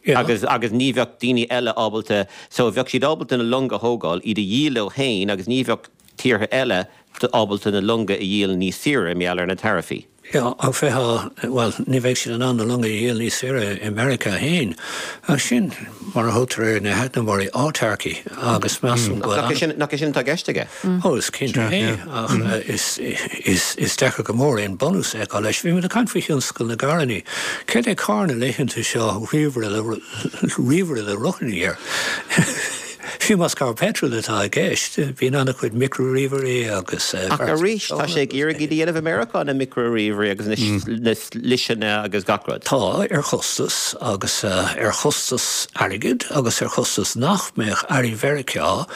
agus agus ní bheadh daoine eile ábalta, so bheadh siad ábalta na longa a thógáil, iad a dhíol leo féin agus ní bheadh tíortha eile ábalta na longa a dhíol níos saoire mar gheall ar na taraifí. Yeah, ach bheifeá, bhuel, ní bheadh siad in ann na longa a dhíol níos saoire i Meiriceá féin. Ach sin mar a thugtar ar na heacnamóirí, autarky, agus measaim go bhfuil Nach é sin, nach é sin atá i gceist aige? Ó, is cinnte é, ach is, is, is deacair go mór aon bunús a fheiceáil leis. Bhí muid ag caint faoi thionscal na gcarrannaí. Céard é carr na laethanta seo, ríomhaire le, ríomhaire le rothar air? Fiú más carr peitril atá i gceist, bíonn an-chuid micro-ríomhairí agus Ach arís, tá sé ag iarraidh iad a dhéanamh i Meiriceá, na micro-ríomhairí agus na sliseanna agus gach rud. Tá, ar chostas, agus ar chostas airgid agus ar chostas nach mbeadh earraí Mheiriceá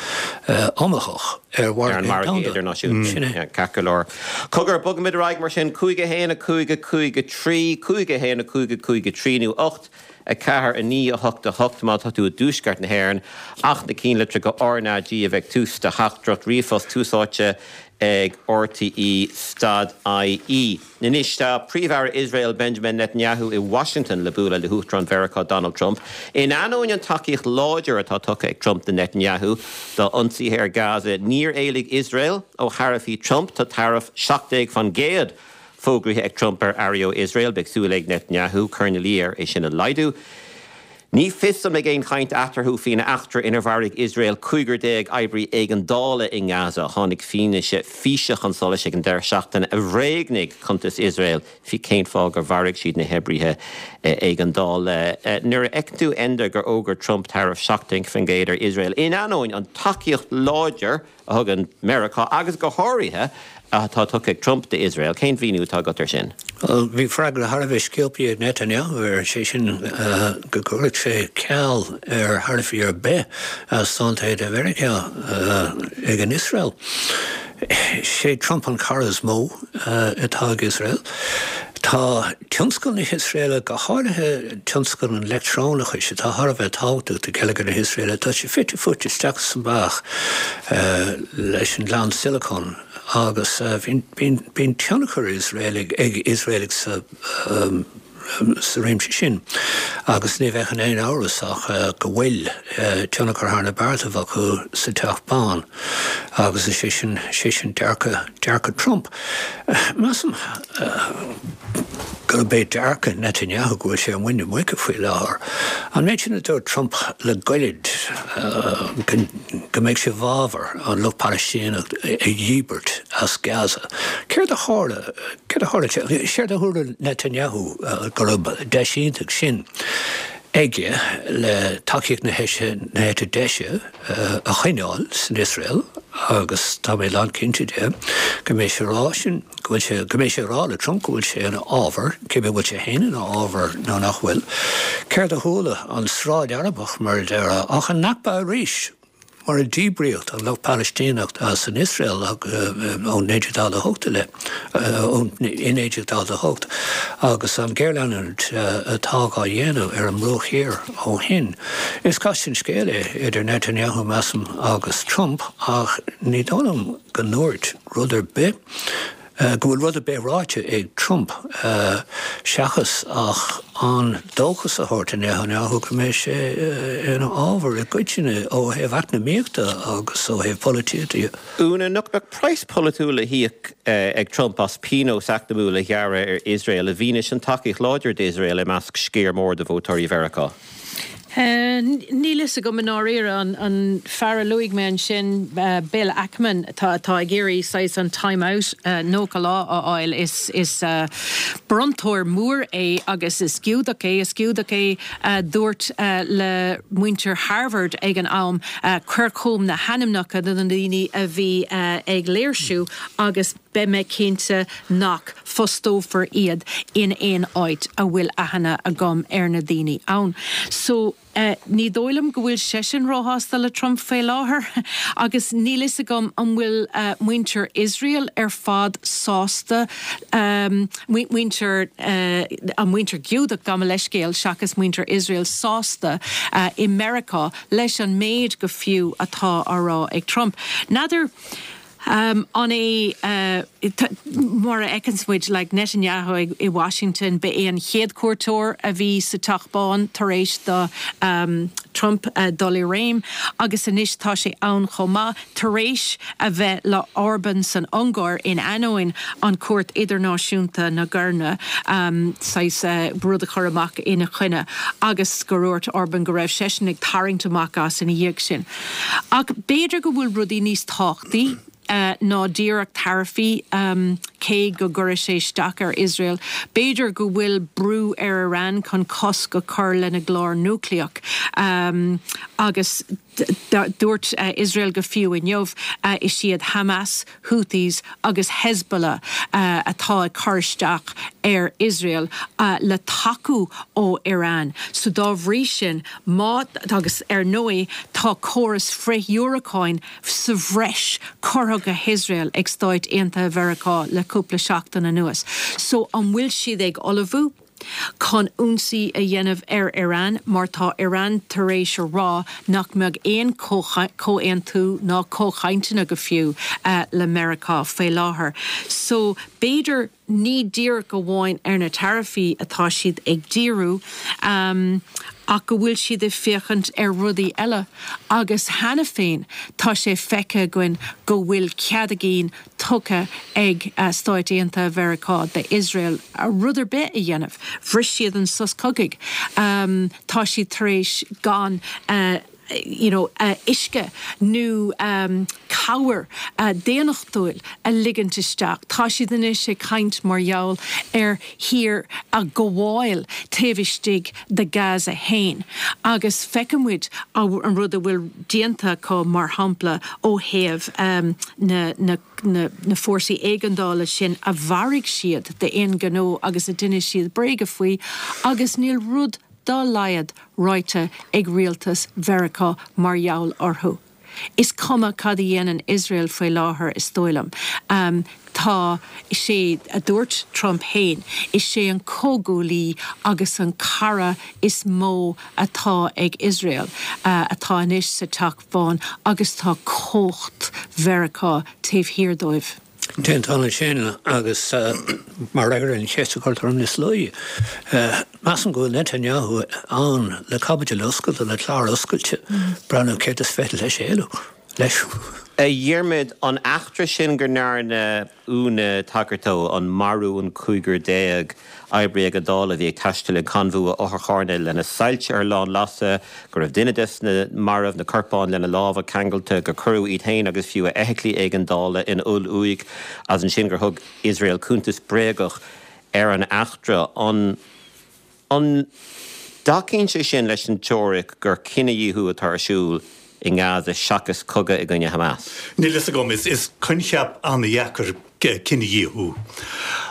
iomaíoch ar Ar an mhargadh margadh domhanda. idirnáisiúnta. Sin é. Ceart go leor. Cogar, bogfaimid ar aghaidh mar sin, cúig a haon, a cúig, a cúig, a trí, cúig a haon, a cúig, a cúig, a trí nó ocht. a ceathair, a naoi, a hocht, a hocht má tá tú i dtuaisceart na hÉireann, ach na cinnlitreacha RnaG a bheith ag tús do theachtaireacht ríomhphost Tús Áite ag RTÉ stad IE. Anois tá Príomh-Aire Iosrael Benjamin Netanyahu i Washington le bualadh le hUachtarán Mheiriceá Donald Trump. In ainneoin an tacaíocht láidir atá tugtha ag Trump do Netanyahu dá ionsaithe ar Gaza, níor éalaigh Iosrael ó tharaifí Trump. Tá taraif seacht déag faoin gcéad Fógraithe ag Trump ar earraí ó Iosrael, beidh súil ag Netanyahu cur ina luí air é sin a laghdú. Ní fios an mbeidh aon chaint eatarthu faoin eachtra inar mharaigh Iosrael cúigear déag oibrí éigeandála i nGaza. Tháinig fianaise físe chun solais ag an deireadh seachtaine a bhréagnaigh cuntas Iosrael faoi cén fáth gur mharaigh siad na hoibrithe éigeandála. Nuair a fheiceann tú, Enda, gur fhógair Trump taraif seacht déag faoin gcéad ar Iosrael in ainneoin an tacaíocht láidir a thugann Meiriceá agus go háirithe atá tugtha ag Trump d'Iosrael. Cén mhíniú atá agat air sin? Bhuel, bhí freagra thar a bheith sciobtha ag Netanyahu air, sé sin go gcuirfeadh sé ceal ar tharaifí ar bith as Stáit Aontaithe Mheiriceá ag an Iosrael. Sé Trump an cara is mó atá ag Iosrael. Tá tionscal na hIosraeile, go háirithe tionscal an leictreonachais, atá thar a bheith tábhachtach do gheilleagar na hIosraeile, tá sé fite fuaite isteach is amach leis an Ghleann Sileacon agus bíonn tionchar ag Iosraelaigh sa sa réimse sin agus ní bheadh in aon amhras ach go bhfuil tionchar thar na beartaibh acu sa Teach Bán agus is é sin, sé sin dearcadh, dearcadh Trump. Measaim gurb é dearcadh Netanyahu go bhfuil sé ar muin na muice faoi láthair. An méid sin a dúirt Trump le gairid go mbeidh sé i bhfabhar an lucht Palaistíneach a dhíbirt as Gaza. Céard a tharla céard a tharla séard a thuar Netanyahu go raibh deis iontach sin aige le tacaíocht na na heite deise a choinneáil san Iosrael agus tá mé lánchinnte de go mbeidh sé rá sin go bhfuil sé go mbeidh sé rá le Trump go bhfuil sé ina fhabhar cibé bhfuil sé féin ina fhabhar nó nach bhfuil. Céard a chuala an sráid Arabach mar a déarfá ach an Nakba arís mar a díbríodh an lucht Palaistíneach as an Iosrael ó naoi déag daichead a hocht i leith, i naoi déag daichead a hocht, agus an ghéarleanúint atá á dhéanamh ar an mBruach Thiar ó shin. Is casta an scéal é idir Netanyahu, measaim, agus Trump, ach ní dóigh liom go ndúirt rud ar bith go bhfuil rud ar bith ráite ag Trump seachas ach an dóchas a thabhairt do Netanyahu go mbeidh sé ina fhabhar i gcoitinne ó thaobh eacnamaíochta agus ó thaobh polaitíochta de. Úna, nach mbeadh praghas polaitiúil le híoc ag Trump as pionós eacnamúil a ghearradh ar Iosrael i bhfianaise an tacaíocht láidir d'Iosrael i measc sciar mór de vótóirí Mheiriceá? Níl fhios agam i ndáiríre an fear a luaigh mé ansin, Bill Ackman, atá atá ag iarraidh saghas an time out nócha lá a fháil. Is is bronntóir mór é agus is Giúdach é. Is Giúdach é a dúirt le muintir Harvard ag an am, cuir chugam na hainmneacha de na daoine a bhí ag léirsiú agus beidh mé cinnte nach bhfostófar iad in aon áit a bhfuil aithne agam ar na daoine ann. So ní dóigh liom go bhfuil seisean róshásta le Trump faoi láthair agus níl fhios agam an bhfuil muintir Iosrael ar fad sásta, muintir, an muintir Giúdach gabh mo leithscéal seachas muintir Iosrael sásta i Meiriceá leis an méid go fiú atá á rá ag Trump. N'fheadar an é mar a fheiceanns muid like Netanyahu i Washington, ba é an chéad cuairteoir a bhí sa Teach Bán tar éis do Trump dul i réim agus anois tá sé ann chomh maith tar éis a bheith le Orban san Ungáir in ainneoin an Chúirt Idirnáisiúnta na gCoireanna saghas rud a chur amach ina choinne agus gur dhúirt Orban go raibh seisean ag tarraingt amach as ina dhiaidh sin. Ach b'fhéidir go bhfuil rudaí níos tábhachtaí ná díreach taraifí, cé go gcuirfidh sé isteach ar Iosrael. B'fhéidir go bhfuil brú ar Iran chun cosc a chur lena gclár núicléach agus dúirt Iosrael go fiú inniu is iad Hamas, Houthis agus Hezbollah atá ag cur isteach ar Iosrael le tacú ó Iran. So dá bhrí sin, má, agus ar ndóigh tá córas frith-dhiúracáin sa bhreis curtha go hIosrael ag Stáit Aontaithe Mheiriceá le cúpla seachtain anuas. So an bhfuil siad ag ullmhú chun ionsaí a dhéanamh ar Iran mar tá Iran tar éis a rá nach mbeadh aon chomhaontú ná comhchainteanna go fiú le Meiriceá faoi láthair. So b'fhéidir ní díreach amháin ar na taraifí atá siad ag díriú ach go bhfuil siad ag féachaint ar rudaí eile agus cheana féin tá sé feicthe againn go bhfuil cead a gcinn tugtha ag Stáit Aontaithe Mheiriceá d'Iosrael rud ar bith a dhéanamh. Bhris siad an sos cogaidh. Tá siad tar éis gan you know uisce nó cabhair daonnachtúil a ligint isteach. Tá siad anois ag caint mar gheall ar thír a ghabháil taobh istigh de Gaza féin. Agus feiceann muid an rud a bhfuil déanta acu mar shampla ó thaobh na na na fórsaí éigeandála sin a mharaigh siad d'aon ghnó agus a d'inis siad bréaga faoi agus níl rud dá laghad ráite ag rialtas Mheiriceá mar gheall orthu. Is cuma cad a dhéanann Iosrael faoi láthair is dóigh liom. Tá sé, a dúirt Trump féin, is é an comhghuaillí agus an cara is mó atá ag Iosrael atá anois sa Teach Bán agus tá cumhacht Mheiriceá taobh thiar dóibh. Déantán ansin agus mar fhreagra ar an cheist a chuir tú orm níos luaithe, measaim go bhfuil Netanyahu ann le caibidil oscailte, le clár oscailte, breathnú céard is féidir leis éalú leis. A Dhiarmaid, an eachtra sin go ndearna Úna tagairt dó, an marú an cúigear déag oibrí éigeandála a bhí ag taisteal i conbhua otharcharranna lena soilse ar lánlasadh, go raibh duine des na mairbh, na corpáin lena lámha ceangailte, gur cuireadh iad féin agus fiú a fheithiclí éigeandála in oll-uaigh, agus ansin gur thug Iosrael cuntas bréagach ar an eachtra, an an dtacaíonn sé sin leis an teoiric gur cinedhíothú atá ar siúl i nGaza seachas cogadh i gcoinne Hamas? Níl fhios agam. Is coincheap an-dheacair cinedhíothú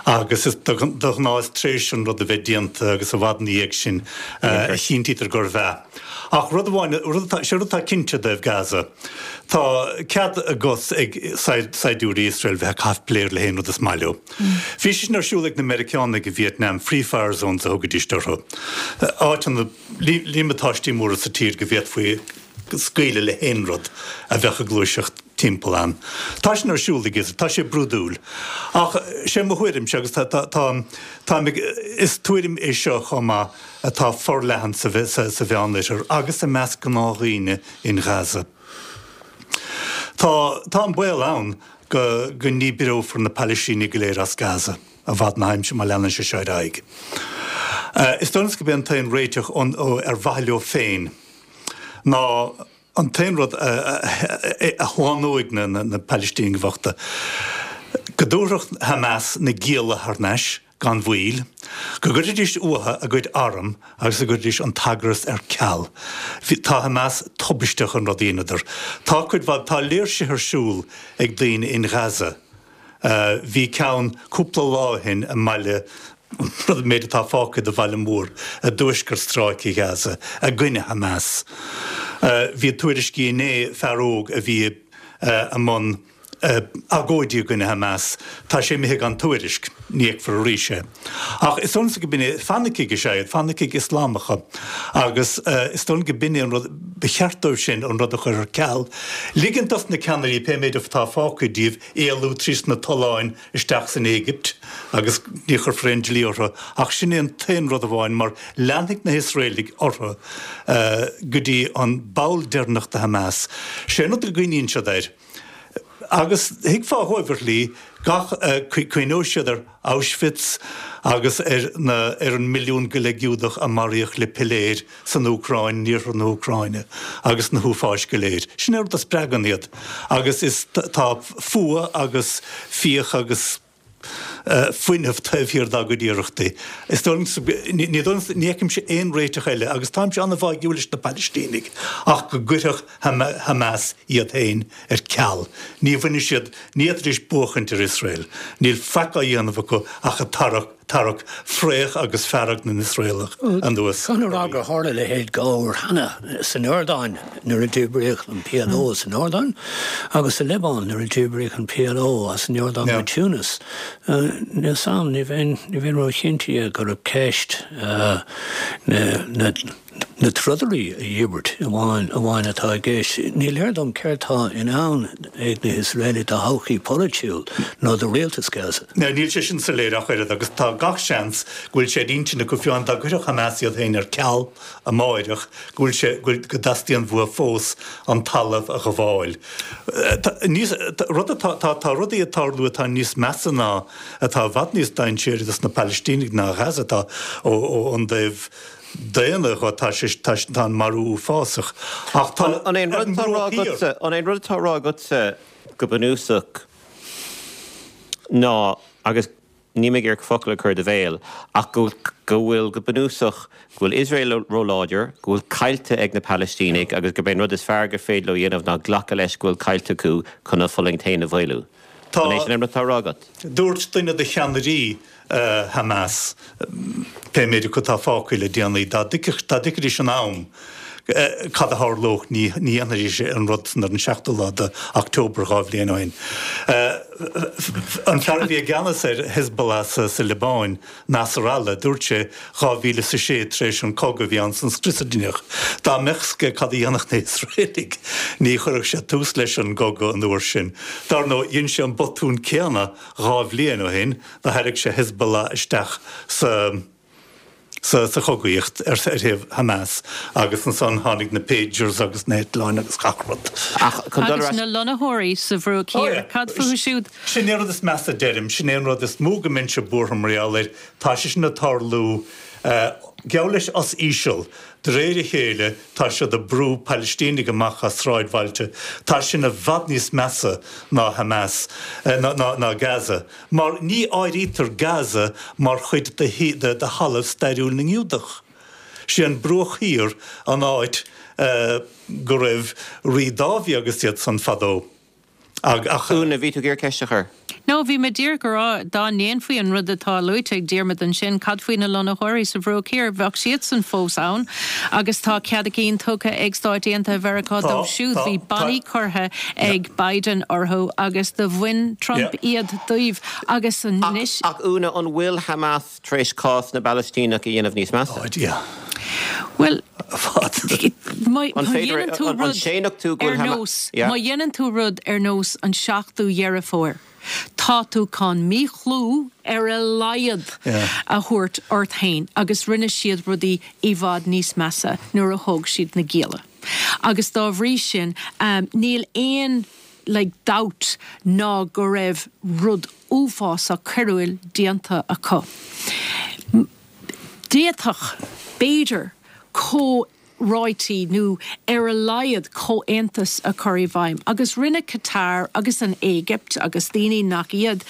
agus is de ghnáth is tar éis an rud a bheith déanta agus i bhfad ina dhiaidh sin a chinntítear gurbh ea. Ach rud amháin, rud atá, sé rud atá cinnte i dtaobh Gaza, tá cead a gcos ag saighdiúirí Iosrael bheith ag caitheamh piléar le haon rud is maith leo. Bhí sé sin ar siúl ag na Meiriceánaigh i Vietnam, free fire zones a thugaidís orthu, áiteanna, líomatáistí móra sa tír go bhféadfaí scaoileadh le haon rud a bheadh ag gluaiseacht timpeall ann. Tá sin ar siúl ag Iosrael, tá sé brúidiúil. Ach sé mo thuairimse, agus tá, tá, tá, táim ag, is tuairim é seo chomh maith atá forleathan sa, sa, sa Mheánoirthear agus i measc gnáthdhaoine in Gaza. Tá, tá an baol ann go, go ndíbreofar na Palaistínigh go léir as Gaza i bhfad na haimsire má leanann sé seo ar aghaidh. Is dóigh liomsa gurb é an t-aon réiteach ar mhaithe leo féin ná an t-aon rud a shlánóidh na Palaistínigh bhochta, go dtabharfadh Hamas na gialla thar n-ais gan mhoill, go gcuirfidís uathu a gcuid arm agus go gcuirfidís an t-eagras ar ceal. Tá Hamas tubaisteach an rud a dheineadar. Tá cuid mhaith, tá léirsithe ar siúl ag daoine in Gaza. Bhí ceann cúpla lá ó shin i mbaile, an méid atá fágtha de bhaile mór i dtuaisceart Stráice Ghaza, i gcoinne Hamas. Bhí tuairiscí inné, fear óg a bhí i mbun agóidí i gcoinne Hamas, tá sé imithe gan tuairisc, ní fheicfear arís é. Ach is dóigh liomsa go b'in é, fanaicigh is ea iad, fanaicigh Ioslamacha, agus is dóigh liom go b'in é an rud, ba cheart dóibh sin an rud a chur ar ceal, ligint dos na ceannairí, pé méid atá fágtha díobh, éalú trí sna tolláin isteach san Éigipt agus ní chuirfear aon dlí orthu ach sin é an t-aon rud amháin mar leanfaidh na hIosraelaigh orthu go dtí an ball deireanach de Hamas. Sé an rud a gcuimhníonn siad air agus thuigfeá dhóibh ar shlí gach cuimhneoidh siad ar Auschwitz agus ar na ar an milliún go leith Giúdach a maraíodh le piléir san Úcráin, in iarthar na hÚcráine, agus na huafáis go léir. Sin é an rud a spreagann iad agus is tá fuath agus fíoch agus fuinneamh taobh thiar dá gcuid iarrachtaí. Is dóigh liomsa, ní dóigh liomsa, ní fheicimse aon réiteach eile agus táimse an-bháúil leis na Palaistínigh ach go gcuirfeadh Hamas iad féin ar ceal. Ní bhainfidh siad, ní fhéadfaidís buachaint ar Iosrael. Níl faic á dhéanamh acu ach ag tarrac, tarrac fraoch agus fearg na nIosraelach anuas. Caithfidh a rá gur tharla a leithéid dhá uair cheana, san Iordáin nuair a díbríodh an PLO as an Iordáin agus sa Liobáin nuair a díbríodh an PLO as an Iordáin go Tunis. Níl 'fhios a'm, ní bheinn, ní bheinn ró-chinnte gurb ceist na, na, na trodairí a dhíbirt amháin amháin atá i gceist. Ní léir dom céard tá i ndán ag na hIosraelaigh do thodhchaí pholaitiúil nó do rialtas Gaza. Níl sé sin soiléir ach oiread agus tá gach seans go bhfuil sé ar intinn acu fiú amháin dá gcuirfeadh Hamas iad féin ar ceal amáireach go bhfuil sé go dteastaíonn uathu fós an talamh a ghabháil. Níos rud atá tá tá rudaí ag tarlú atá níos measa ná atá i bhfad níos dainséaraí dos na Palaistínigh ná Gaza atá ó ó ón dtaobh daonna dhe tá sé tá tá an marú uafásach ach tá An é an ar rud an atá á rá mbruach thiar. agatsa an é an rud atá á rá agatsa go bunúsach ná agus níl mé ag iarraidh focal a chur i do bhéal ach go go bhfuil go bunúsach go bhfuil Iosrael róláidir, go bhfuil caillte ag na Palaistínigh agus gurb é an rud is fearr gur féidir leo a dhéanamh ná glacadh leis go bhfuil caillte acu chun a bhfulaingt féin a mhaolú. Tá. An é sin an rud atá á rá agat? Dúirt duine de cheannairí Hamas, pé méid acu atá fágtha le déanaí, dá dtuigfidís in am cad a tharlódh ní dhéanfaidís an rud san ar an seachtú lá de October dhá bhliain ó shin. An fear a bhí i gceannas ar Hezbollah sa Liobáin, Nasrallah, dúirt sé dhá mhíle is a sé tar éis an cogadh a bhí ann san scrios a deineadh, dá mbeadh 's aige cad a dhéanfadh na hIosraelaigh ní chuirfeadh sé tús leis an gcogadh an uair sin. Dar ndóigh, dhein sé an botún céanna dhá bhliain ó shin, do tharraing sé Hezbollah isteach sa sa sa chogaíocht ar ar thaobh Hamas agus ansan tháinig na pagers agus na heitleáin agus gach rud. Ach chun dul ar Agus ais na lonnaitheoirí sa Bhruach Oh Thiar, yeah. cad fúthu siúd? Sin é an rud is measa deirim, sin é an rud is mó go mbeinnse buartha mar gheall air, tá sé sin ag tarlú geall leis as íseal, de réir a chéile tá siad ag brú Palaistínigh amach as sráidbhailte, tá sin i bhfad níos measa ná Hamas, ná ná Gaza, mar ní áirítear Gaza mar chuid de de thalamh stairiúil na nGiúdach. Sé an Bruach Thiar an áit go raibh Rí Dáiví agus iad san fadó. Ach. Úna, bhí tú ag iarraidh ceist a chur? No, bhí mé díreach ag rá, dá ndéanfaí an rud atá luaite ag Diarmuid ansin, cad faoi na lonnaitheoirí sa Bhruach Thiar? Bheadh siadsan fós ann agus tá cead a gcinn tugtha ag Stáit Aontaithe Mheiriceá dóibh siúd. Bhí bannaí curtha ag Biden orthu agus do bhain Trump iad díobh agus anois. Ach Úna, an bhfuil Hamas tar éis cás na bPalaistíneach a dhéanamh níos measa? Bhuel, má An féidir, dhéanann tú an rud séanfadh tú go ar bhfuil nós, Yeah. má dhéanann tú rud ar nós an seachtú Dheireadh Fómhair, tá tú chun míchlú ar a laghad Yeah. a thabhairt ort féin agus rinne siad rudaí i bhfad níos measa nuair a thóg siad na gialla. Agus dá bhrí sin, um, níl aon like, dabht ná go raibh rud uafásach coiriúil déanta acu. D'fhéadfadh, b'fhéidir, comhráití nó ar a laghad comhaontas a chur i bhfeidhm, agus rinne Qatar agus an Éigipt agus daoine nach iad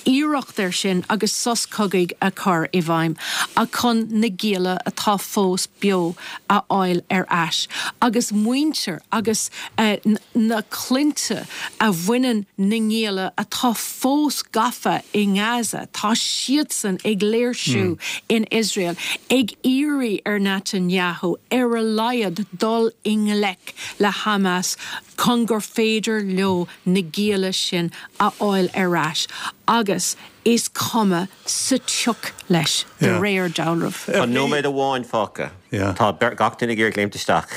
iarracht air sin agus sos cogaidh a chur i bhfeidhm, ach chun na gialla atá fós beo a fháil ar ais, agus muintir agus na clainne a bhaineann na ngialla atá fós gafa i nGaza, tá siadsan ag léirsiú in Iosrael, ag iarraidh ar Netanyahu ar a laghad dul i ngleic le Hamas chun gur féidir leo na gialla sin a fháil ar ais agus is cuma sa tsioc leis de réir dealraimh. Tá nóiméad amháin fágtha. Tá gach duine ag iarraidh léimt isteach.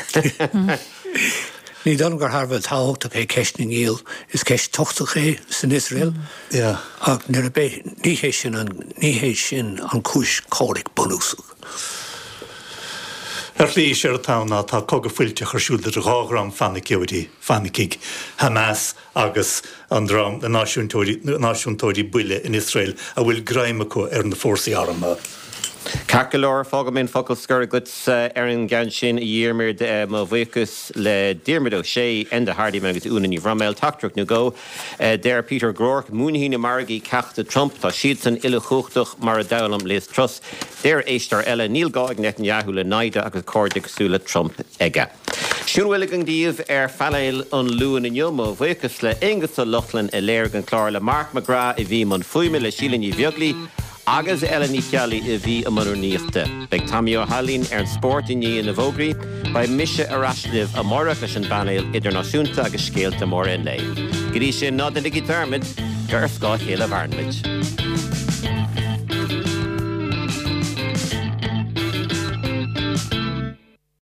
Ní dóigh liom gur thar a bheith tábhachtach é ceist na ngiall, is ceist tábhachtach é san Iosrael ach nuair a bheidh, ní hé sin an, ní hé sin an chúis comhraic bunúsach. Ar shlí, séard atá ann ná tá cogadh fuilteach ar siúl idir dhá dhream fanaiceoirí, fanaicigh, Hamas agus an dream, na náisiúntóirí, náisiúntóirí buile in Iosrael a bhfuil greim acu ar na fórsaí armtha. Ceart go leor, fágfaidh mé an focal scoir agatsa ar an gceann sin, a Dhiarmuid. Mo bhuíochas le Diarmuid Ó Sé, Enda Hardiman agus Úna Ní Bhroiméil. Teachtaireacht nó dhó. Deir Peter Groarke, Múinfidh na margaí ceacht do Trump, tá siadsan uilechumhachtach mar a d'fhoghlaim Liz Truss. Deir éisteoir eile, Níl gá ag Netanyahu le naimhde agus cairde cosúil le Trump aige. Sin a bhfuil againn daoibh ar phainéal an Luain inniu. Mo bhuíochas le Aonghus Ó Lochlainn a léirigh an clár, le Mark McGrath a bhí i mbun fuaime, le Síle Ní Bheaglaoi agus Ella Ní Cheallaigh a bhí i mbun rúnaíochta. Beidh Tommy Ó hAilín ar an spórt i ndiaidh na bhfógraí. Beidh mise ar ais libh amárach leis an bpainéal idirnáisiúnta agus scéalta móra an lae. Go dtí sin, ná déanaigí dearmad gur ar scáth a chéile a mhaireann muid.